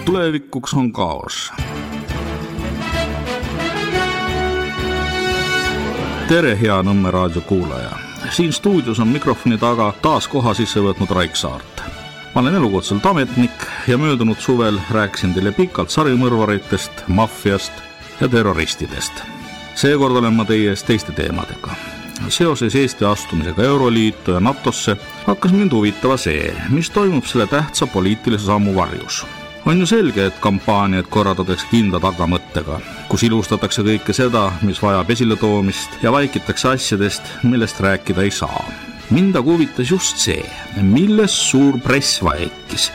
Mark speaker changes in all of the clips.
Speaker 1: Tulevikuks on kaos. Tere, hea Nõmme raadio kuulaja. Siin stuudios on mikrofoni taga taas koha sisse võtnud Raik Saart. Ma olen elukutselt ametnik ja möödunud suvel rääkisin teile pikalt sarimõrvaritest, maffiast ja terroristidest. Seekord olen ma teie ees teiste teemadega. Seoses Eesti astumisega Euroliitu ja NATOsse hakkas mind huvitava see, mis toimub selle tähtsa poliitilise sammu varjus. On ju selge, et kampaaniad korraldatakse kindla tagamõttega, kus ilustatakse kõike seda, mis vajab esiletoomist ja vaikitakse asjadest, millest rääkida ei saa. Mind aga huvitas just see, milles suur press vaikis.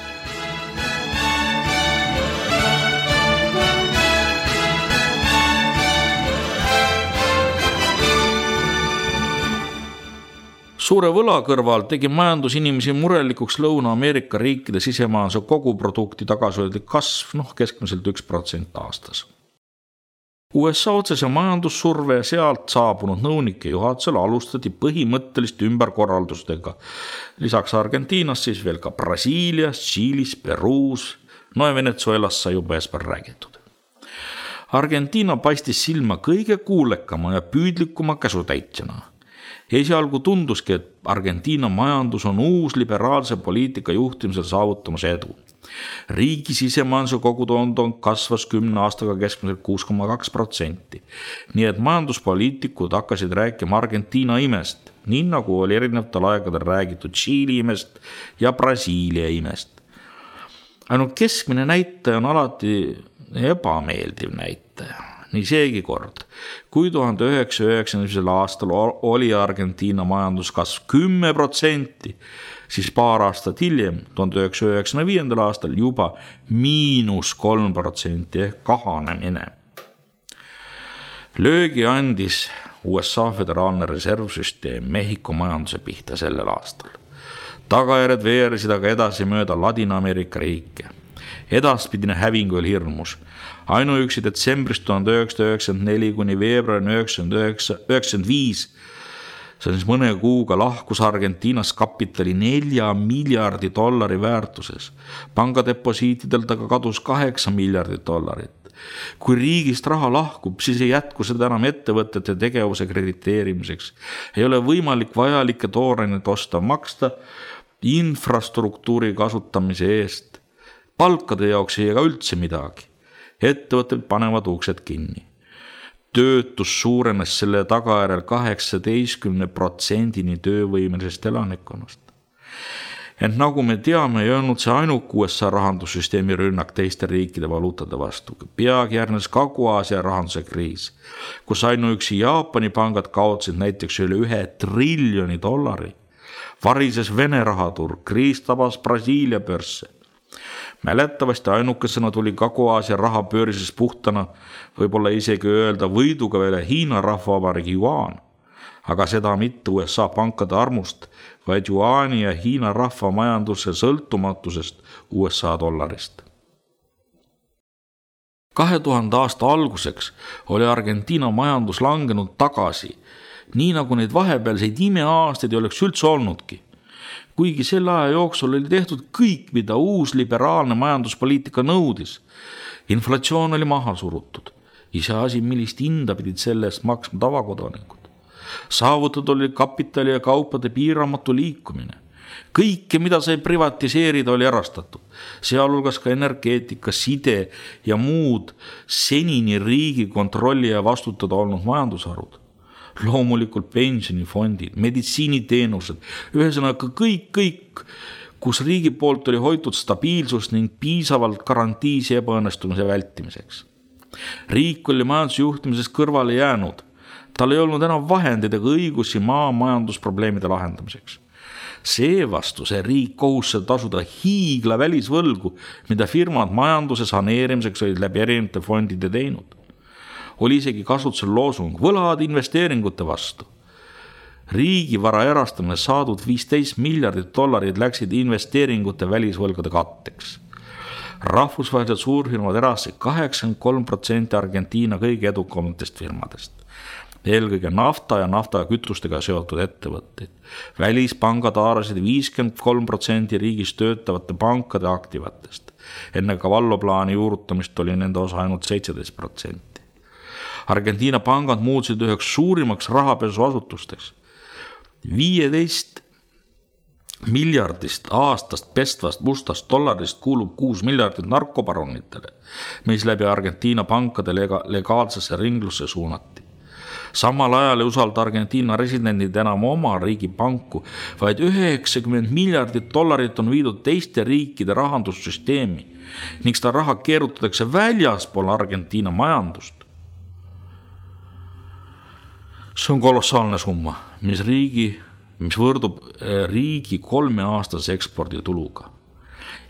Speaker 1: Suure võla kõrval tegi majandusinimesi murelikuks Lõuna-Ameerika riikide sisemajanduse koguprodukti tagasihoidlik kasv, keskmiselt 1% aastas. USA otsese majandussurve ja sealt saabunud nõunike juhatusel alustati põhimõttelist ümberkorraldustega. Lisaks Argentiinas siis veel ka Brasiilias, Tšiilis, Peruus, ja Venezuelas sai juba eespäev räägitud. Argentiina paistis silma kõige kuulekama ja püüdlikuma käsutäitjana. Esialgu tunduski, et Argentiina majandus on uus liberaalse poliitika juhtimisel saavutamas edu. Riigi sisemajanduse kogutoodang kasvas 10 aastaga keskmiselt 6,2%. Nii et majanduspoliitikud hakkasid rääkima Argentiina imest, nii nagu oli erinevatel aegadel räägitud Tšiili imest ja Brasiilia imest. Ainult keskmine näitaja on alati ebameeldiv näitaja. Nii seegi kord. Kui 1990. aastal oli Argentiina majanduskasv 10%, siis paar aastat hiljem, 1995. aastal juba -3% ehk kahanemine. Löögi andis USA föderaalne reservsüsteem Mehhiko majanduse pihta sellel aastal. Tagajärjed veerisid aga edasi mööda Ladina-Ameerika riike. Edaspidine häving oli hirmus. Ainuüksi detsembrist 1994 kuni veebruari 1995, see on siis mõne kuuga lahkus Argentiinas kapitali $4 miljardi väärtuses. Pangadeposiitidelt aga kadus $8 miljardit. Kui riigist raha lahkub, siis ei jätku seda enam ettevõtete tegevuse krediteerimiseks. Ei ole võimalik vajalikke tooraineid osta, maksta infrastruktuuri kasutamise eest. Palkade jaoks ei ega üldse midagi. Ettevõtted panevad uksed kinni. Töötus suurenes selle tagajärjel 18% töövõimelisest elanikkonnast. Ent nagu me teame, ei olnud see ainuk USA rahandussüsteemi rünnak teiste riikide valuutade vastu. Peagi järgnes Kagu-Aasia rahanduse kriis, kus ainuüksi Jaapani pangad kaotsid näiteks üle $1 triljoni. Varises Vene rahaturg, kriis tabas Brasiilia börse. Mäletavasti ainukesena tuli Kagu-Aasia raha pöörises puhtana, võib-olla isegi öelda võiduga veel Hiina rahvavabariigi juaan, aga seda mitte USA pankade armust, vaid juaani ja Hiina rahva majanduse sõltumatusest USA dollarist. 2000 aasta alguseks oli Argentiina majandus langenud tagasi, nii nagu neid vahepealseid imeaastaid ei oleks üldse olnudki. Kuigi selle aja jooksul oli tehtud kõik, mida uus liberaalne majanduspoliitika nõudis. Inflatsioon oli maha surutud. Iseasi, millist hinda pidid selle eest maksma tavakodanikud. Saavutatud oli kapitali ja kaupade piiramatu liikumine. Kõike, mida sai privatiseerida, oli erastatud. Sealhulgas ka energeetika, side ja muud senini riigi kontrolli ja vastutada olnud majandusharud. Loomulikult pensionifondid, meditsiiniteenused, ühesõnaga kõik, kus riigi poolt oli hoitud stabiilsust ning piisavalt garantiisi ebaõnnestumise vältimiseks. Riik oli majandusjuhtimisest kõrvale jäänud. Tal ei olnud enam vahendeid ega õigusi majandusprobleemide lahendamiseks. Seevastu see riik kohustas tasuda hiigla välisvõlgu, mida firmad majanduse saneerimiseks olid läbi erinevate fondide teinud. Oli isegi kasutusel loosung võlad investeeringute vastu. Riigivara erastamine saadud $15 miljardit läksid investeeringute välisvõlgade katteks. Rahvusvahelised suurfirmad erastasid 83% Argentiina kõige edukamatest firmadest. eelkõige nafta ja naftakütustega seotud ettevõtteid. Välispangad haarasid 53% riigis töötavate pankade aktivatest. Enne Cavallo plaani juurutamist oli nende osa ainult 17%. Argentiina pangad muutusid üheks suurimaks rahapesuasutusteks. 15 miljardist aastast pestvast mustast dollarist kuulub 6 miljardit narkobaronitele, mis läbi Argentiina pankade legaalsesse ringlusse suunati. Samal ajal ei usalda Argentiina residendid enam oma riigi panku, vaid 90 miljardit dollarit on viidud teiste riikide rahandussüsteemi ning seda raha keerutatakse väljaspool Argentiina majandust. See on kolossaalne summa, mis võrdub riigi 3-aastase ekspordituluga.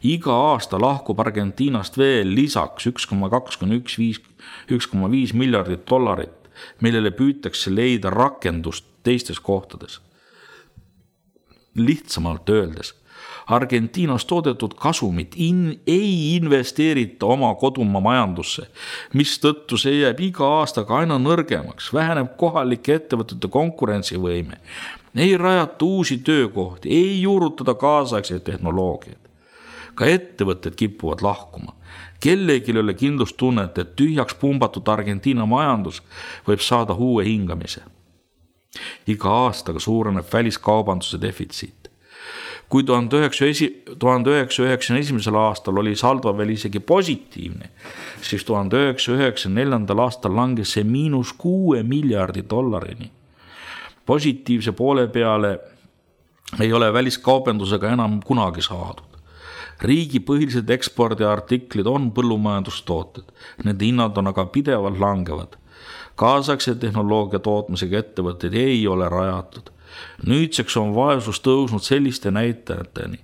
Speaker 1: Iga aasta lahkub Argentiinast veel lisaks 1,5 miljardit dollarit, millele püütakse leida rakendust teistes kohtades. Lihtsamalt öeldes, Argentiinas toodetud kasumit ei investeerita oma kodumaa majandusse, mistõttu see jääb iga aastaga aina nõrgemaks, väheneb kohalike ettevõtete konkurentsivõime, ei rajata uusi töökohti, ei juurutada kaasaegseid tehnoloogiaid. Ka ettevõtted kipuvad lahkuma. Kellelgi ei ole kindlustunnet, et tühjaks pumbatud Argentiina majandus võib saada uue hingamise. Iga aastaga suureneb väliskaubanduse defitsiit. Kui 1991. aastal oli saldo veel isegi positiivne, siis 1994. aastal langes see -6 miljardi dollarini. Positiivse poole peale ei ole väliskaubandusega enam kunagi saadud. Riigi põhilised ekspordiartiklid on põllumajandustooted, nende hinnad on aga pidevalt langevad. Kaasaegse tehnoloogia tootmisega ettevõtteid ei ole rajatud. Nüüdseks on vaesus tõusnud selliste näitajateni,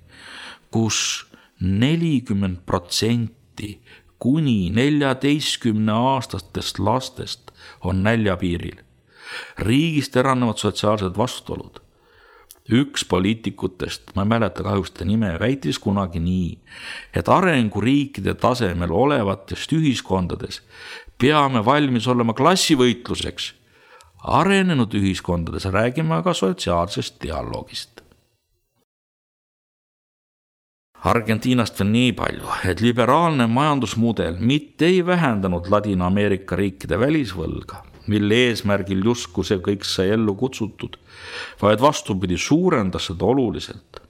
Speaker 1: kus 40% kuni 14-aastastest lastest on näljapiiril. Riigist eranevad sotsiaalsed vastuolud. Üks poliitikutest, ma ei mäleta kahjuks ta nime, väitis kunagi nii, et arenguriikide tasemel olevatest ühiskondades peame valmis olema klassivõitluseks. Arenenud ühiskondades räägime aga sotsiaalsest dialoogist. Argentiinast veel nii palju, et liberaalne majandusmudel mitte ei vähendanud Ladina-Ameerika riikide välisvõlga, mille eesmärgil justkui see kõik sai ellu kutsutud, vaid vastupidi suurendas seda oluliselt.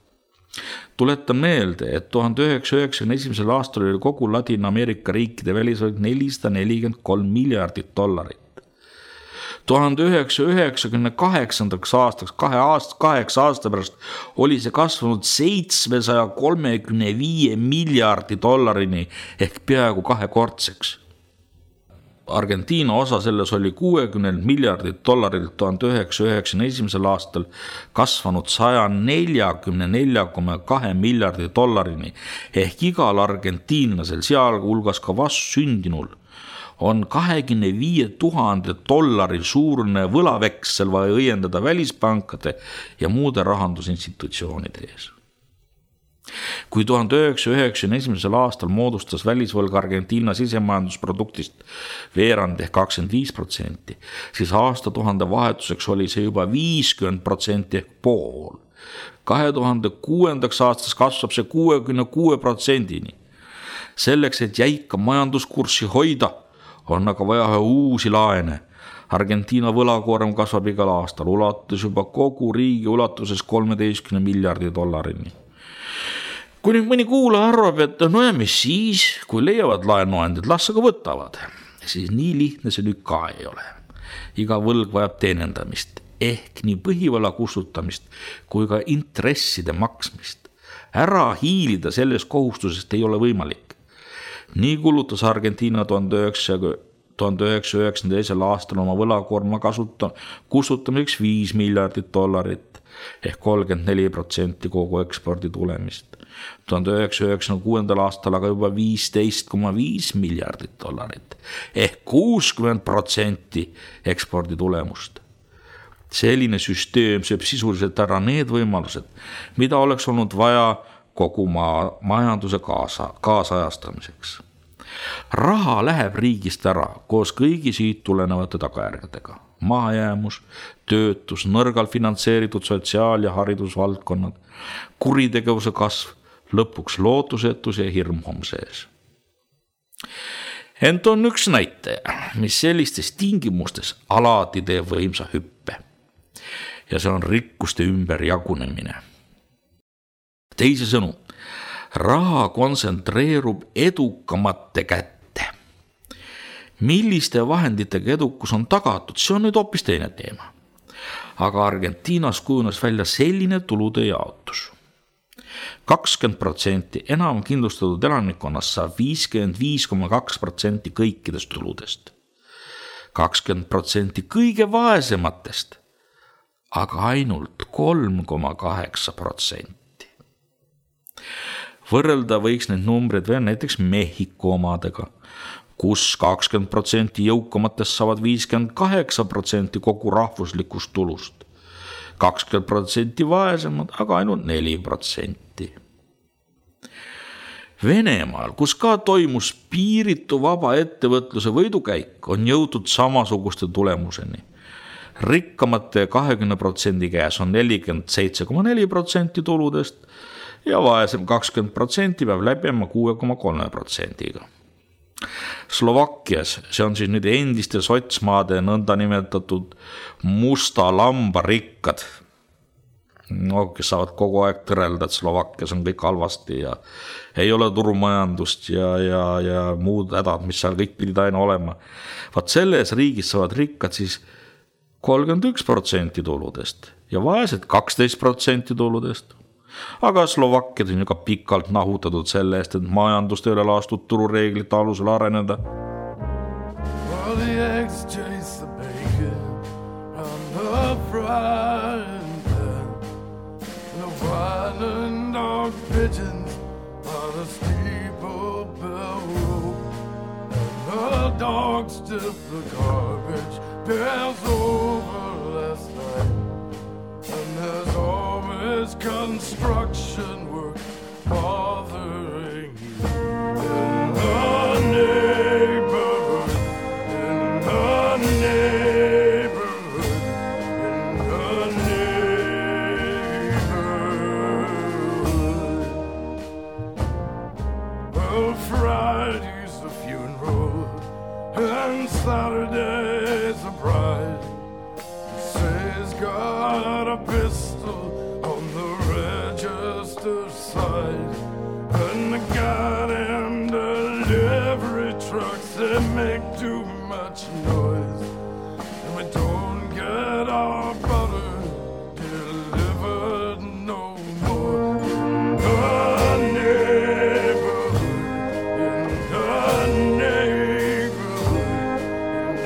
Speaker 1: Tuletan meelde, et 1991. aastal oli kogu Ladina-Ameerika riikide välisvõlg 443 miljardit dollarit. 1998. aastaks, 8 aasta pärast, oli see kasvanud 735 miljardi dollarini ehk peaaegu kahekordseks. Argentiina osa selles oli 60 miljardit dollarilt 1991. aastal kasvanud 144,2 miljardi dollarini ehk igal argentiinlasel, sealhulgas ka vastsündinul, on 25 000 dollari suurune võlaveksel vaja õiendada välispankade ja muude rahandusinstitutsioonide ees. Kui 1991. aastal moodustas välisvõlg Argentiina sisemajandusproduktist veerand ehk 25%, siis aastatuhande vahetuseks oli see juba 50% ehk pool. 2006. aastas kasvab see 66%-ni. Selleks, et jäika majanduskurssi hoida, on aga vaja uusi laene. Argentiina võlakoorem kasvab igal aastal, ulatus juba kogu riigi ulatuses 13 miljardi dollarini. Kui nüüd mõni kuulaja arvab, et no ja mis siis, kui leiavad laenuandjad, las aga võtavad, siis nii lihtne see nüüd ka ei ole. Iga võlg vajab teenendamist, ehk nii põhivõla kustutamist kui ka intresside maksmist. Ära hiilida sellest kohustusest ei ole võimalik. Nii kulutas Argentiina 1992. aastal oma võlakoorma kustutamiseks 5 miljardit dollarit ehk 34% kogu ekspordi tulemist. 1996. aastal aga juba 15,5 miljardit dollarit ehk 60% ekspordi tulemust. Selline süsteem sööb sisuliselt ära need võimalused, mida oleks olnud vaja kogu majanduse kaasajastamiseks. Raha läheb riigist ära koos kõigi siit tulenevate tagajärgedega. mahajäämus, töötus, nõrgal finantseeritud sotsiaal- ja haridusvaldkonnad, kuritegevuse kasv, lõpuks lootusetus ja hirm homse ees. Ent on üks näitaja, mis sellistes tingimustes alati teeb võimsa hüppe. Ja see on rikkuste ümber jagunemine. Teisisõnu, raha kontsentreerub edukamate kätte. Milliste vahenditega edukus on tagatud, see on nüüd hoopis teine teema. Aga Argentiinas kujunes välja selline tulude jaotus. 20% enam kindlustatud elanikkonnast saab 55,2% kõikidest tuludest. 20% kõige vaesematest, aga ainult 3,8%. Võrrelda võiks need numbrid veel näiteks Mehhiko omadega, kus 20% jõukamatest saavad 58% kogu rahvuslikust tulust. 20% vaesemad, aga ainult 4%. Venemaal, kus ka toimus piiritu vaba ettevõtluse võidukäik, on jõutud samasuguste tulemuseni. Rikkamate 20% käes on 47,4% tuludest ja vaesem 20% peab läbima 6,3%-ga. Slovakkias, see on siis nüüd endiste sotsmaade nõnda nimetatud musta lamba rikkad, kes saavad kogu aeg tõrelda, et Slovakkias on kõik halvasti ja ei ole turumajandust ja muud hädad, mis seal kõik pidid aina olema. Vaat selles riigis saavad rikkad siis 31% tuludest ja vaesed 12% tuludest. Aga Slovakkiad on ju ka pikalt nahutatud selle eest, et majandust ei ole lastud turureeglite alusel areneda. Well, the eggs chase the bacon on the frying pan. The wine and dog pigeons on a steeple bell rope. And the dogs dip the garbage pails over last night. And there's always construction work bothering you in the neighborhood, in the neighborhood, in the neighborhood. Well, Friday's the funeral and Saturday's a bride. He's got a pistol on the register side, and the goddamn delivery trucks, they make too much noise, and we don't get our butter delivered no more. In the neighborhood, in the neighborhood, in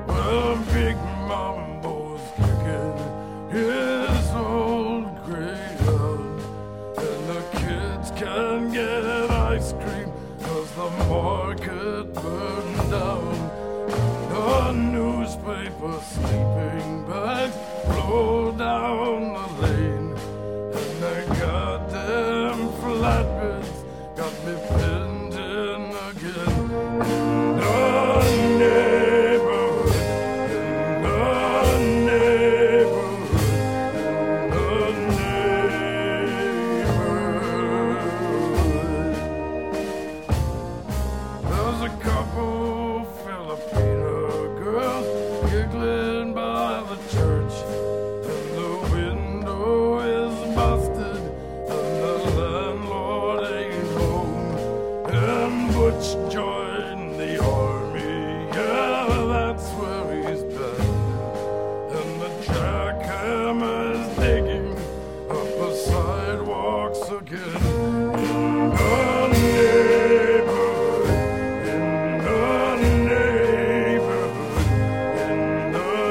Speaker 1: the Big Mambo's kicking his old gray out, and the kids can't get ice cream 'cause the market burned down. The newspaper sleeping bags blow down the lane, and the goddamn flatbeds got me pinned in again. In the neighborhood, join the army, yeah, that's where he's been. And the jackhammer's digging up the sidewalks again. In the neighborhood, in the neighborhood, in the neighborhood, in the neighborhood.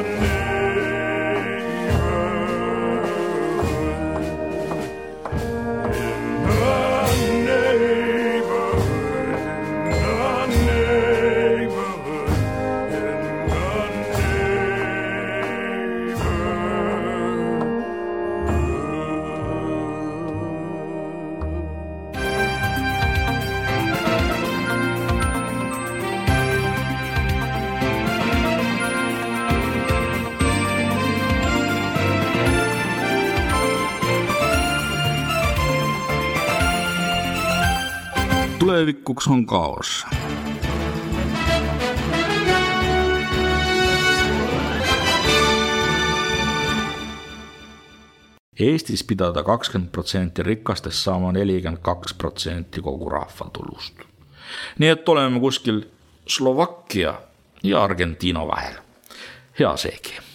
Speaker 1: tulevikuks on kaos. Eestis pidada 20% rikastest saama 42% kogu rahvatulust. Nii et oleme kuskil Slovakkia ja Argentiina vahel. Hea seegi.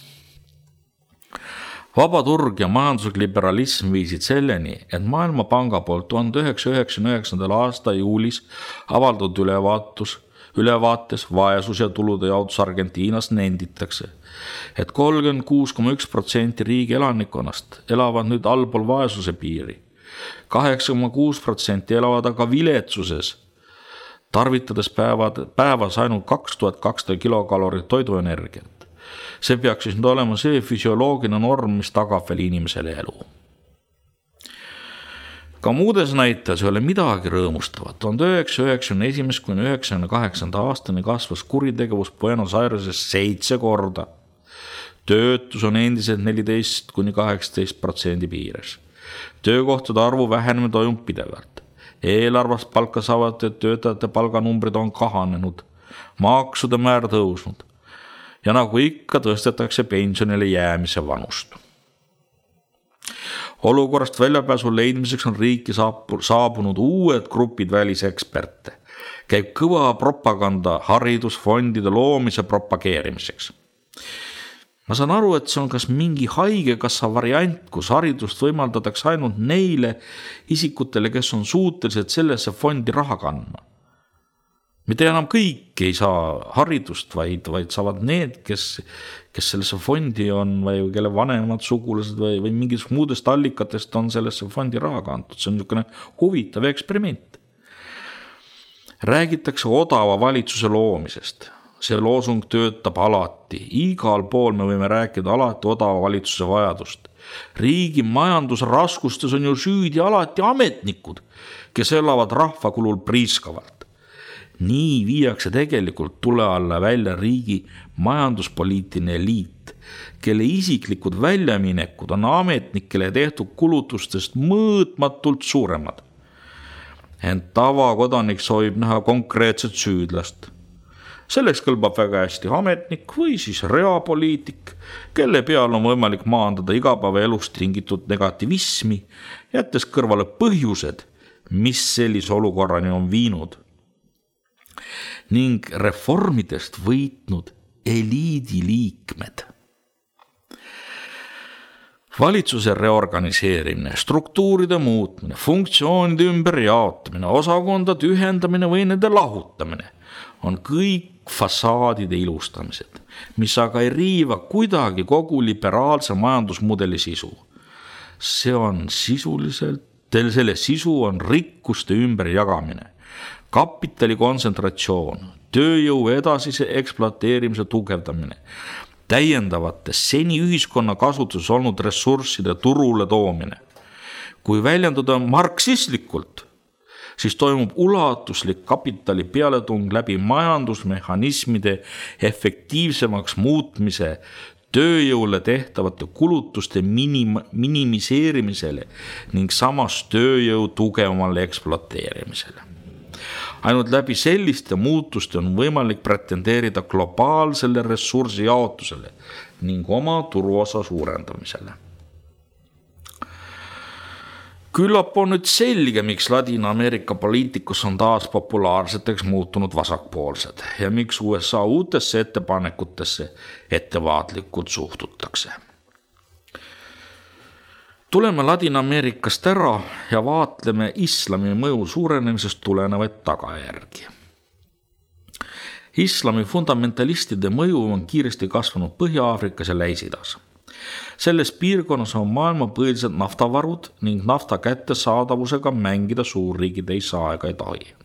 Speaker 1: Vaba turg ja majanduslik liberalism viisid selleni, et Maailmapanga poolt 1999. aasta juulis avaldatud ülevaates vaesus ja tulude jaotus Argentiinas nenditakse, et 36,1% riigi elanikkonnast elavad nüüd allpool vaesuse piiri. 8,6% elavad aga viletsuses, tarvitades päevas ainult 2200 kilokalorit toiduenergiat. See peaks siis nüüd olema see füsioloogiline norm, mis tagab veel inimesele elu. Ka muudes näitas ei ole midagi rõõmustavat. 1991–1998 aastani kasvas kuritegevus Buenos Aireses 7 korda. Töötus on endiselt 14–18% piires. Töökohtade arvu vähenemine toimub pidevalt. Eelarvast palka saavate töötajate palganumbrid on kahanenud. Maksude määr tõusnud. Ja nagu ikka tõstetakse pensionile jäämise vanust. Olukorrast väljapääsu leidmiseks on riiki saabunud uued grupid väliseksperte. Käib kõva propaganda haridusfondide loomise propageerimiseks. Ma saan aru, et see on kas mingi haigekassa variant, kus haridust võimaldatakse ainult neile isikutele, kes on suutelised sellesse fondi raha kandma. Mitte enam kõik ei saa haridust, vaid saavad need, kes sellesse fondi on või kelle vanemad sugulased või mingis muudest allikatest on sellesse fondi raha kantud. See on niisugune huvitav eksperiment. Räägitakse odava valitsuse loomisest. See loosung töötab alati. Igal pool me võime rääkida alati odava valitsuse vajadust. Riigi majandusraskustes on ju süüdi alati ametnikud, kes elavad rahva kulul priiskavalt. Nii viiakse tegelikult tule alla välja riigi majanduspoliitiline eliit, kelle isiklikud väljaminekud on ametnikele tehtud kulutustest mõõtmatult suuremad. Ent tavakodanik soovib näha konkreetset süüdlast. Selleks kõlbab väga hästi ametnik või siis reapoliitik, kelle peal on võimalik maandada igapäevaelust tingitud negativismi, jättes kõrvale põhjused, mis sellise olukorrani on viinud. Ning reformidest võitnud eliidi liikmed. Valitsuse reorganiseerimine, struktuuride muutmine, funktsioonide ümberjaotamine, osakondade ühendamine või nende lahutamine on kõik fassaadide ilustamised, mis aga ei riiva kuidagi kogu liberaalse majandusmudeli sisu. Selle sisu on rikkuste ümberjagamine, kapitali kontsentratsioon, tööjõu edasise ekspluateerimise tugevdamine, täiendavate seni ühiskonna kasutuses olnud ressursside turule toomine. Kui väljenduda marksistlikult, siis toimub ulatuslik kapitali pealetung läbi majandusmehhanismide efektiivsemaks muutmise, tööjõule tehtavate kulutuste minimiseerimisele ning samas tööjõu tugevamale ekspluateerimisele. Ainult läbi selliste muutuste on võimalik pretendeerida globaalsele ressursi jaotusele ning oma turuosa suurendamisele. Küllap on nüüd selge, miks Ladina-Ameerika poliitikus on taas populaarseteks muutunud vasakpoolsed ja miks USA uutesse ettepanekutesse ettevaatlikult suhtutakse. Tuleme Ladina-Ameerikast ära ja vaatleme islami mõju suurenemisest tulenevaid tagajärgi. Islami fundamentalistide mõju on kiiresti kasvanud Põhja-Aafrikas ja Lähis-Idas. Selles piirkonnas on maailma põhilised naftavarud ning nafta kättesaadavusega mängida suurriigid ei saa ega ei tohi.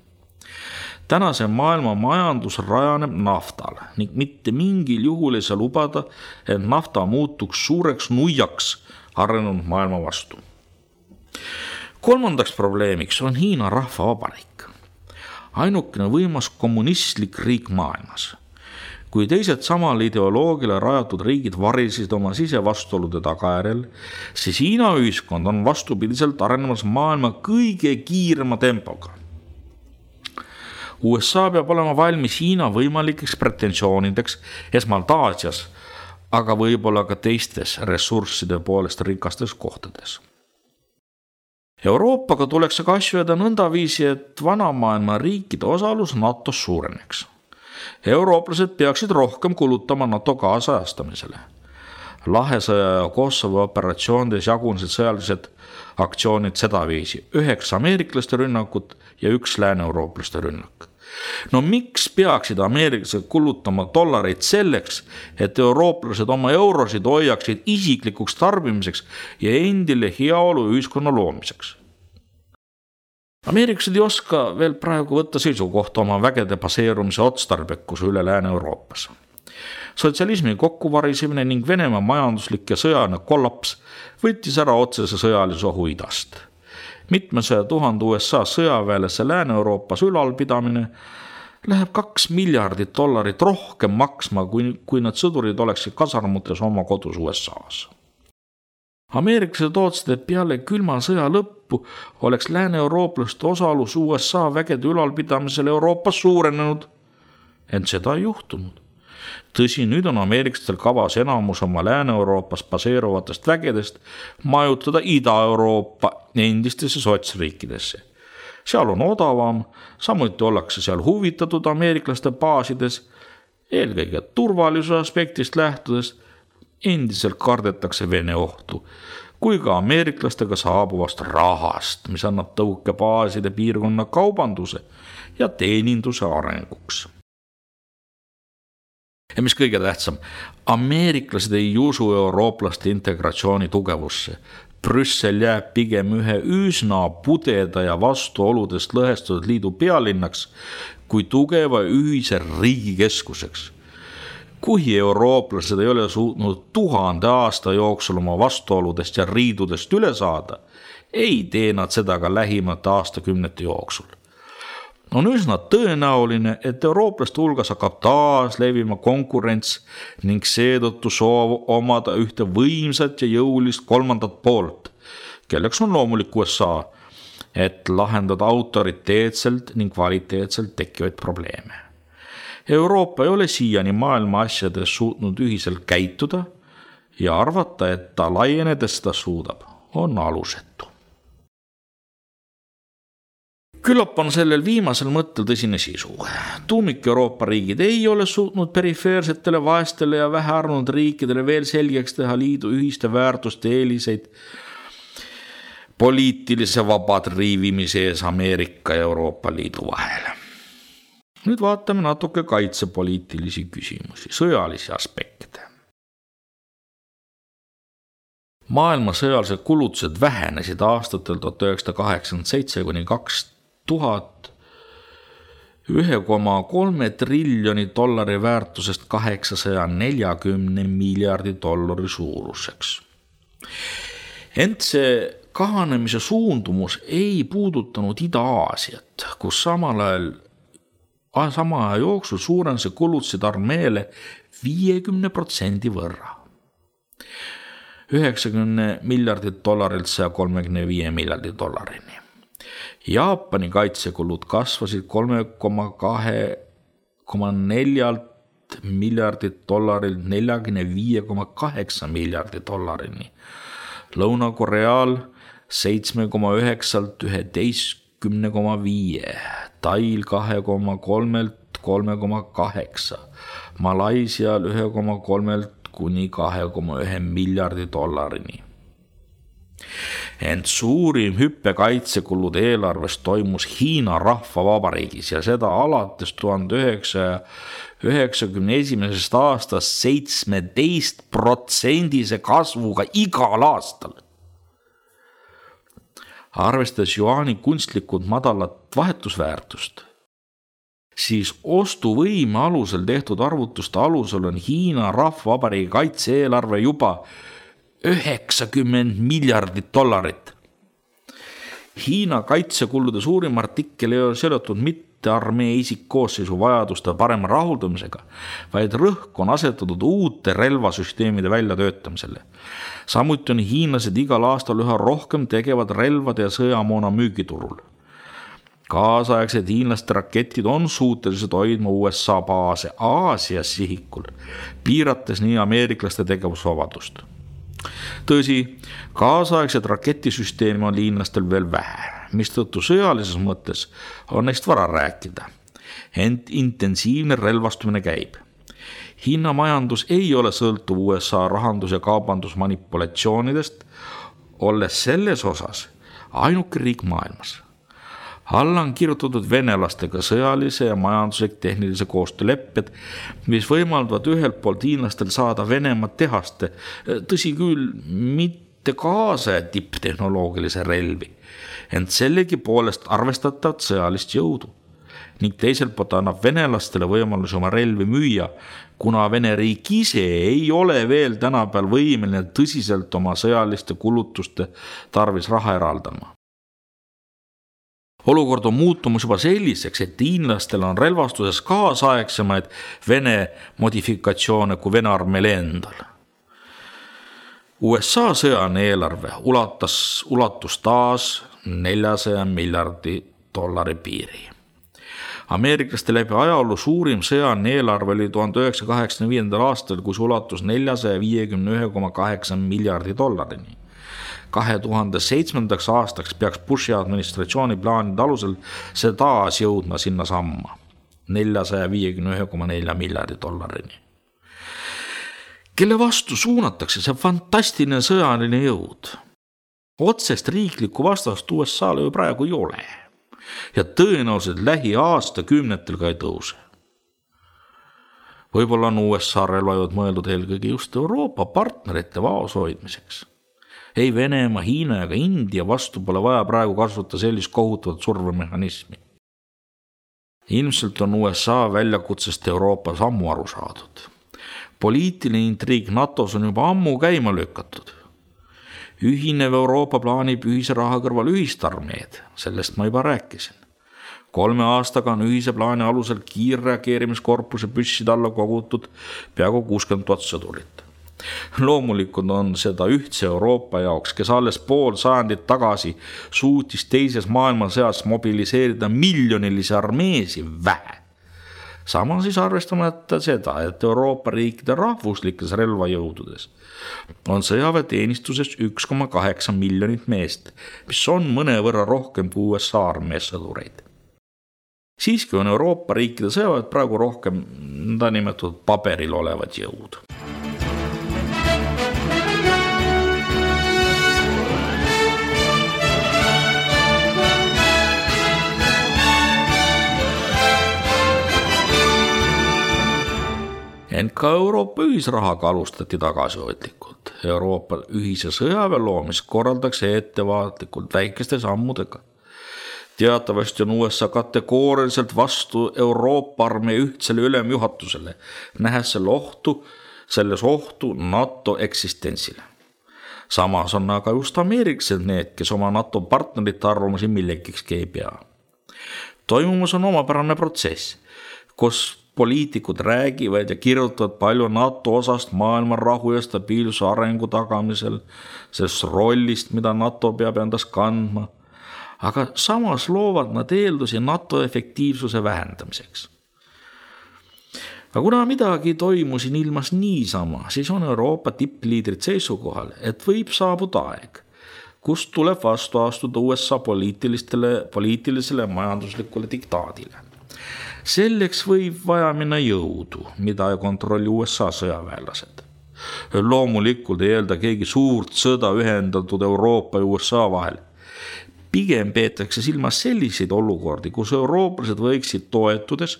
Speaker 1: Tänase maailma majandus rajaneb naftal ning mitte mingil juhul ei saa lubada, et nafta muutuks suureks nuiaks arenenud maailma vastu. Kolmandaks probleemiks on Hiina Rahvavabariik. Ainukene võimas kommunistlik riik maailmas. Kui teised samal ideoloogile rajatud riigid varisid oma sisevastuolude tagajärjel, siis Hiina ühiskond on vastupidiselt arenemas maailma kõige kiirema tempoga. USA peab olema valmis Hiina võimalikeks pretensioonideks esmalt Aasias, aga võib-olla ka teistes ressursside poolest rikastes kohtades. Euroopaga tuleks aga asju jääda nõndaviisi, et vanamaailma riikide osalus NATO-s suureneks. Eurooplased peaksid rohkem kulutama NATO kaasajastamisele. Lahesõja ja Kosovo operatsioonides jagunesid sõjalised aktsioonid sedaviisi: 9 ameeriklaste rünnakut ja 1 lääne-eurooplaste rünnak. No miks peaksid ameeriklased kulutama dollareid selleks, et eurooplased oma eurosid hoiaksid isiklikuks tarbimiseks ja endile heaolu ühiskonna loomiseks? Ameeriklased ei oska veel praegu võtta seisukohta oma vägede baseerumise otstarbekuse üle Lääne-Euroopas. Sotsialismi kokkuvarisemine ning Venemaa majanduslik ja sõjaline kollaps võttis ära otsese sõjalise ohu idast. Mitmesaja 1000 USA sõjaväelase Lääne-Euroopas ülalpidamine läheb $2 miljardit rohkem maksma, kui nad sõdurid oleksid kasarmutes oma kodus USAs. Ameeriklased ootsid, et peale külma sõja lõppu oleks lääne-eurooplaste osalus USA vägede ülalpidamisel Euroopas suurenenud, ent seda ei juhtunud. Tõsi, nüüd on ameeriklastel kavas enamus oma Lääne-Euroopas baseeruvatest vägedest majutada Ida-Euroopa endistesse sotsriikidesse. Seal on odavam, samuti ollakse seal huvitatud ameeriklaste baasides, eelkõige turvalisuse aspektist lähtudes. Endiselt kardetakse Vene ohtu, kui ka ameeriklastega saabuvast rahast, mis annab tõuke baaside piirkonna kaubanduse ja teeninduse arenguks. Ja mis kõige tähtsam, ameeriklased ei usu eurooplaste integratsiooni tugevusse. Brüssel jääb pigem ühe üsna pudeda ja vastuoludest lõhestunud liidu pealinnaks kui tugeva ühise riigi keskuseks. Kui eurooplased ei ole suutnud 1000 aasta jooksul oma vastuoludest ja riidudest üle saada, ei tee nad seda ka lähimate aastakümnete jooksul. On üsna tõenäoline, et eurooplaste hulgas hakkab taas levima konkurents ning seetõttu soov omada ühte võimsat ja jõulist kolmandat poolt, kelleks on loomulik USA, et lahendada autoriteetselt ning kvaliteetselt tekkivaid probleeme. Euroopa ei ole siiani maailma asjades suutnud ühiselt käituda ja arvata, et ta laienedes seda suudab, on alusetu. Küllap on sellel viimasel mõttel tõsine sisu. Tuumik Euroopa riigid ei ole suutnud perifeersetele, vaestele ja vähearvanud riikidele veel selgeks teha liidu ühiste väärtuste eeliseid poliitilise vabatriivimise ees Ameerika ja Euroopa Liidu vahel. Nüüd vaatame natuke kaitsepoliitilisi küsimusi, sõjalisi aspekte. Maailma sõjalised kulutused vähenesid aastatel 1987 kuni 2000 $1,3 triljoni väärtusest $840 miljardi suuruseks. Ent see kahanemise suundumus ei puudutanud Ida-Aasiat, kus sama aja jooksul suurense kulutused armeele 50% võrra. $90 miljardit $135 miljardi. Jaapani kaitsekulud kasvasid 3,4 miljardit $45,8 miljardi. Lõuna-Koreal 7,9 11,5, Tail 2,3 3,8, Malaisial 1,3 kuni $2,1 miljardi. Ent suurim hüppe kaitsekulude eelarvest toimus Hiina Rahvavabariigis ja seda alates 1991. aastast 17% kasvuga igal aastal. Arvestades juaani kunstlikult madalat vahetusväärtust, siis ostuvõime alusel tehtud arvutuste alusel on Hiina Rahvavabariigi kaitse-eelarve juba $90 miljardit. Hiina kaitsekulude suurim artikkel ei ole seotud mitte armee isikkoosseisu vajaduste parema rahuldamisega, vaid rõhk on asetatud uute relvasüsteemide väljatöötamisele. Samuti on hiinlased igal aastal üha rohkem tegevad relvade ja sõjamoona müügiturul. Kaasaegsed hiinlaste raketid on suutelised hoidma USA baase Aasias sihikul, piirates nii ameeriklaste tegevusvabadust. Tõsi, kaasaegsed raketisüsteemi on hiinlastel veel vähe, mistõttu sõjalises mõttes on neist vara rääkida. Ent intensiivne relvastumine käib. Hiina majandus ei ole sõltuv USA rahandus- ja kaubandusmanipulatsioonidest, olles selles osas ainuke riik maailmas. Alla on kirjutatud venelastega sõjalise ja majanduslik tehnilise koostöölepped, mis võimaldavad ühelt poolt hiinlastel saada Venemaa tehaste, tõsi küll, mitte kaasa tipptehnoloogilise relvi, ent sellegi poolest arvestatavat sõjalist jõudu. Ning teiselt poolt annab venelastele võimalus oma relvi müüa, kuna Vene riik ise ei ole veel tänapäeval võimeline tõsiselt oma sõjaliste kulutuste tarvis raha eraldama. Olukord on muutumus juba selliseks, et hiinlastel on relvastuses kaasaegsemaid Vene modifikatsioone kui Vene armeel endal. USA sõjaline eelarve ulatus taas $400 miljardi piiri. Ameeriklaste läbi ajaolu suurim sõjaline eelarve oli 1985. aastal, kus ulatus $451,8 miljardi. 2007. aastaks peaks Bushi administratsiooni plaanide alusel see taas jõudma sinna samma, $451,4 miljardi. Kelle vastu suunatakse see fantastiline sõjaline jõud? Otsest riiklikku vastast USA-le ju praegu ei ole ja tõenäoliselt lähiaastakümnetel ka ei tõuse. Võib-olla on USA relvajõud mõeldud eelkõige just Euroopa partnerite vaos hoidmiseks. Ei Venemaa, Hiina ega India vastu pole vaja praegu kasutada sellist kohutavat survemehhanismi. Ilmselt on USA väljakutsest Euroopas ammu aru saadud. Poliitiline intriig NATOs on juba ammu käima lükatud. Ühinev Euroopa plaanib ühise raha kõrval ühist armeed, sellest ma juba rääkisin. 3 aastaga on ühise plaani alusel kiirreageerimiskorpuse püsside alla kogutud peaaegu 60 000 sõdurit. Loomulikult on seda ühtse Euroopa jaoks, kes alles pool sajandit tagasi suutis teises maailmasõjas mobiliseerida miljonilisi armeesi vähe. Sama siis arvestamata seda, et Euroopa riikide rahvuslikes relvajõududes on sõjaväeteenistuses 1,8 miljonit meest, mis on mõnevõrra rohkem kui USA armees sõdureid. Siiski on Euroopa riikide sõjaväed praegu rohkem nimetatud paberil olevad jõud. Ent ka Euroopa ühisrahaga alustati tagasihoidlikult. Euroopa ühise sõjaväe loomist korraldatakse ettevaatlikult väikeste sammudega. Teatavasti on USA kategooriliselt vastu Euroopa armee ühtsele ülemjuhatusele, nähes selles ohtu NATO eksistentsile. Samas on aga just ameeriklased need, kes oma NATO partnerite arvamusi millegikski ei pea. Toimumus on omapärane protsess, kus poliitikud räägivad ja kirjutavad palju NATO osast maailma rahu ja stabiilsuse arengu tagamisel, sellest rollist, mida NATO peab endas kandma, aga samas loovad nad eeldusi NATO efektiivsuse vähendamiseks. Aga kuna midagi toimus siin ilmas niisama, siis on Euroopa tippliidrid seisukohal, et võib saabuda aeg, kus tuleb vastu astuda USA poliitilisele majanduslikule diktaadile. Selleks võib vaja minna jõudu, mida ei kontrolli USA sõjaväelased. Loomulikult ei eelda keegi suurt sõda ühendatud Euroopa ja USA vahel. Pigem peetakse silmas selliseid olukordi, kus eurooplased võiksid toetudes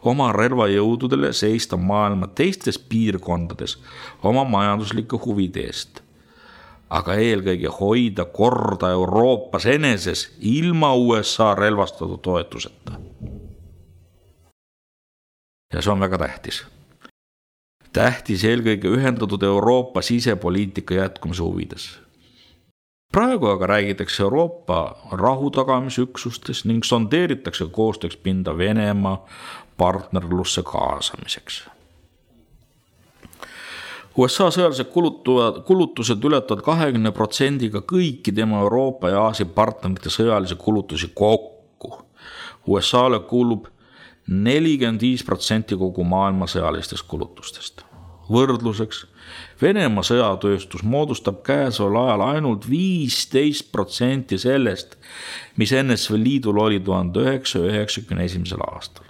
Speaker 1: oma relvajõududele seista maailma teistes piirkondades oma majanduslike huvide eest. Aga eelkõige hoida korda Euroopas eneses ilma USA relvastatud toetuseta. Ja see on väga tähtis. Tähtis eelkõige ühendatud Euroopa sisepoliitika jätkumise huvides. Praegu aga räägitakse Euroopa rahutagamisüksustes ning sondeeritakse koostööks pinda Venemaa partnerlusse kaasamiseks. USA sõjalised kulutused ületavad 20% kõiki tema Euroopa ja Aasia partnerite sõjalisi kulutusi kokku. USA-le kuulub 45% kogu maailma sõjalistest kulutustest. Võrdluseks, Venemaa sõjatööstus moodustab käesoleval ajal ainult 15% sellest, mis NSV Liidul oli 1991. aastal.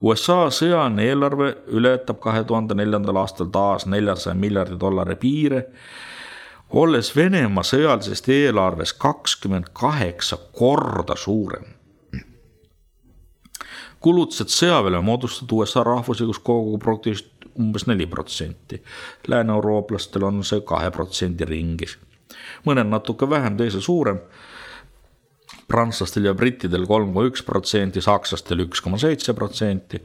Speaker 1: USA sõjaline eelarve ületab 2004. aastal taas $400 miljardi piire, olles Venemaa sõjalisest eelarvest 28 korda suurem. Kulutused sõjaväele moodustatud USA rahvuslikust koguproduktist umbes 4%. Lääne-eurooplastel on see 2% ringis. Mõnel natuke vähem, teisel suurem. Prantslastel ja brittidel 3,1%, sakslastel 1,7%.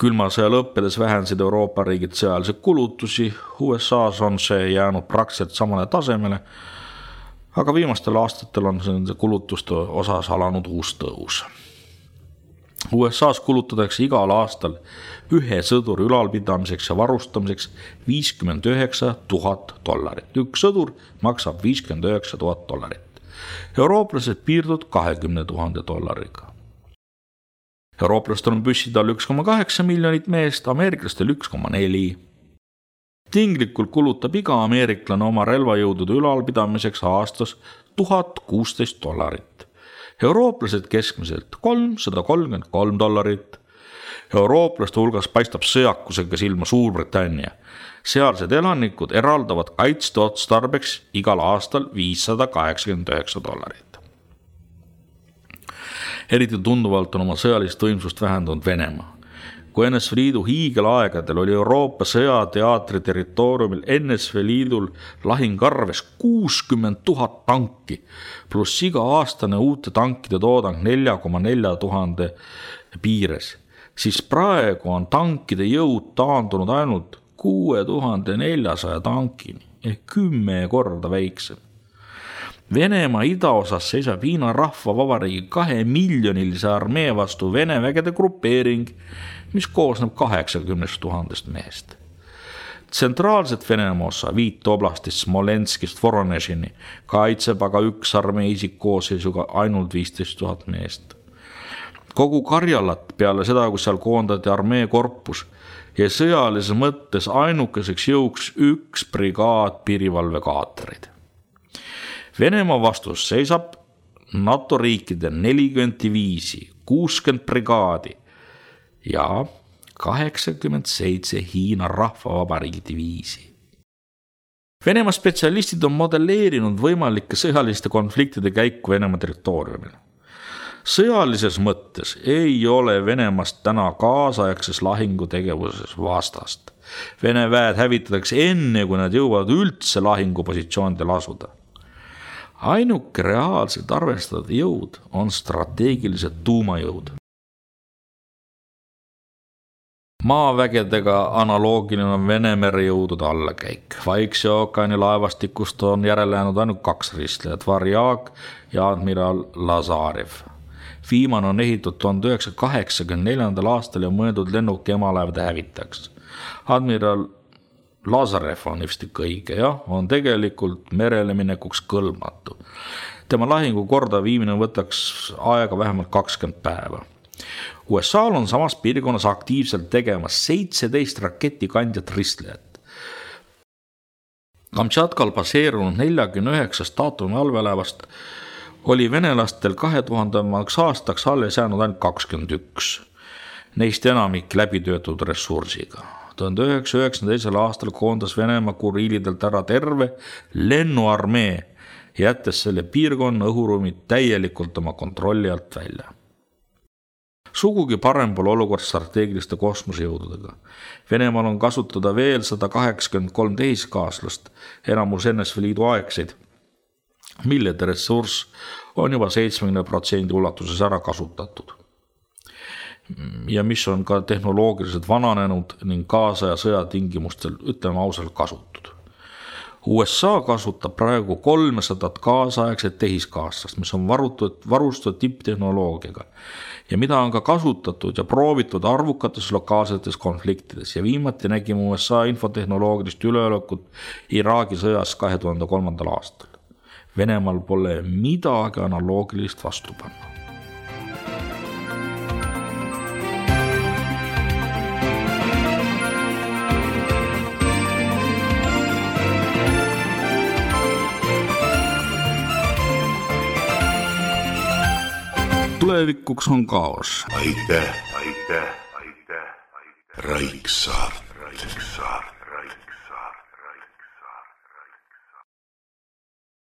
Speaker 1: Külma sõja lõppedes vähendasid Euroopa riigid sõjalisi kulutusi. USA's on see jäänud praktiliselt samale tasemele, aga viimastel aastatel on see kulutuste osas alanud uus tõus. USA's kulutatakse igal aastal ühe sõduri ülalpidamiseks ja varustamiseks $59 000. Üks sõdur maksab $59 000. Eurooplased piirduvad $20 000. Eurooplastel on püsside all 1,8 miljonit meest, ameeriklastel 1,4. Tinglikult kulutab iga ameeriklane oma relvajõudude ülalpidamiseks aastas $1016. Eurooplased keskmiselt $333. Eurooplaste hulgas paistab sõjakusega silma Suurbritannia. Sealsed elanikud eraldavad kaitsteotstarbeks igal aastal $589. Eriti tunduvalt on oma sõjalist võimsust vähendanud Venemaa. Kui NSV Liidu hiigelaegadel oli Euroopa sõjateatri territooriumil NSV Liidul lahingarves 60 000 tanki, pluss iga aastane uute tankide toodang 4,4 tuhande piires, siis praegu on tankide jõud taandunud ainult 6400 tankini ehk 10 korda väiksem. Venemaa idaosas seisab Hiina Rahvavabariigi 2-miljonilise armee vastu Vene vägede grupeering, mis koosneb 80 000 mehest. Tsentraalset Venemaa osa 5 oblastist Smolenskist Voronežini kaitseb aga üks armee isikkoosseisuga ainult 15 000 meest. Kogu Karjalat peale seda, kui seal koondati armee korpus ja sõjalises mõttes ainukeseks jõuks üks brigaad piirivalvekaatreid. Venemaa vastus seisab NATO riikide 40 diviisi, 60 brigaadi ja 87 Hiina Rahvavabariigi diviisi. Venemaa spetsialistid on modelleerinud võimalike sõjaliste konfliktide käiku Venemaa territooriumil. Sõjalises mõttes ei ole Venemaast täna kaasaegses lahingutegevuses vastast. Vene väed hävitatakse enne, kui nad jõuavad üldse lahingupositsioonidel asuda. Ainuke reaalselt arvestatud jõud on strateegilised tuumajõud. Maavägedega analoogiline on Vene merejõudude allakäik. Vaikse ookeani laevastikust on järele jäänud ainult 2 ristlejat, Varjag ja admiral Lazarev. Viimane on ehitatud 1984. aastal ja mõeldud lennuki emalaevade hävitajaks. Admiral Lazarev on vist õige, on tegelikult merele minekuks kõlbmatu. Tema lahingu korda viimine võtaks aega vähemalt 20 päeva. USA'l on samas piirkonnas aktiivselt tegemas 17 raketikandjat ristlejat. Kamtšatkal baseerunud 49 atomiallveelaevast oli venelastel 2000. aastaks alles jäänud ainult 21. Neist enamik läbitöötud ressursiga. 1992. aastal koondas Venemaa Kuriilidelt ära terve lennuarmee, jättes selle piirkonna õhuruumid täielikult oma kontrolli alt välja. Sugugi parem pole olukord strateegiliste kosmosejõududega. Venemaal on kasutada veel 183 tehiskaaslast, enamus NSV Liidu aegseid, millede ressurss on juba 70% ulatuses ära kasutatud. Ja mis on ka tehnoloogiliselt vananenud ning kaasaja sõjatingimustel, ütleme ausalt, kasutud. USA kasutab praegu 300 kaasaegset tehiskaaslast, mis on varustatud tipptehnoloogiaga ja mida on ka kasutatud ja proovitud arvukates lokaalsetes konfliktides ja viimati nägime USA infotehnoloogilist üleolekut Iraagi sõjas 2003. aastal. Venemaal pole midagi analoogilist vastu panna. tulevikuks on kaos.
Speaker 2: aitäh, Raiksaart.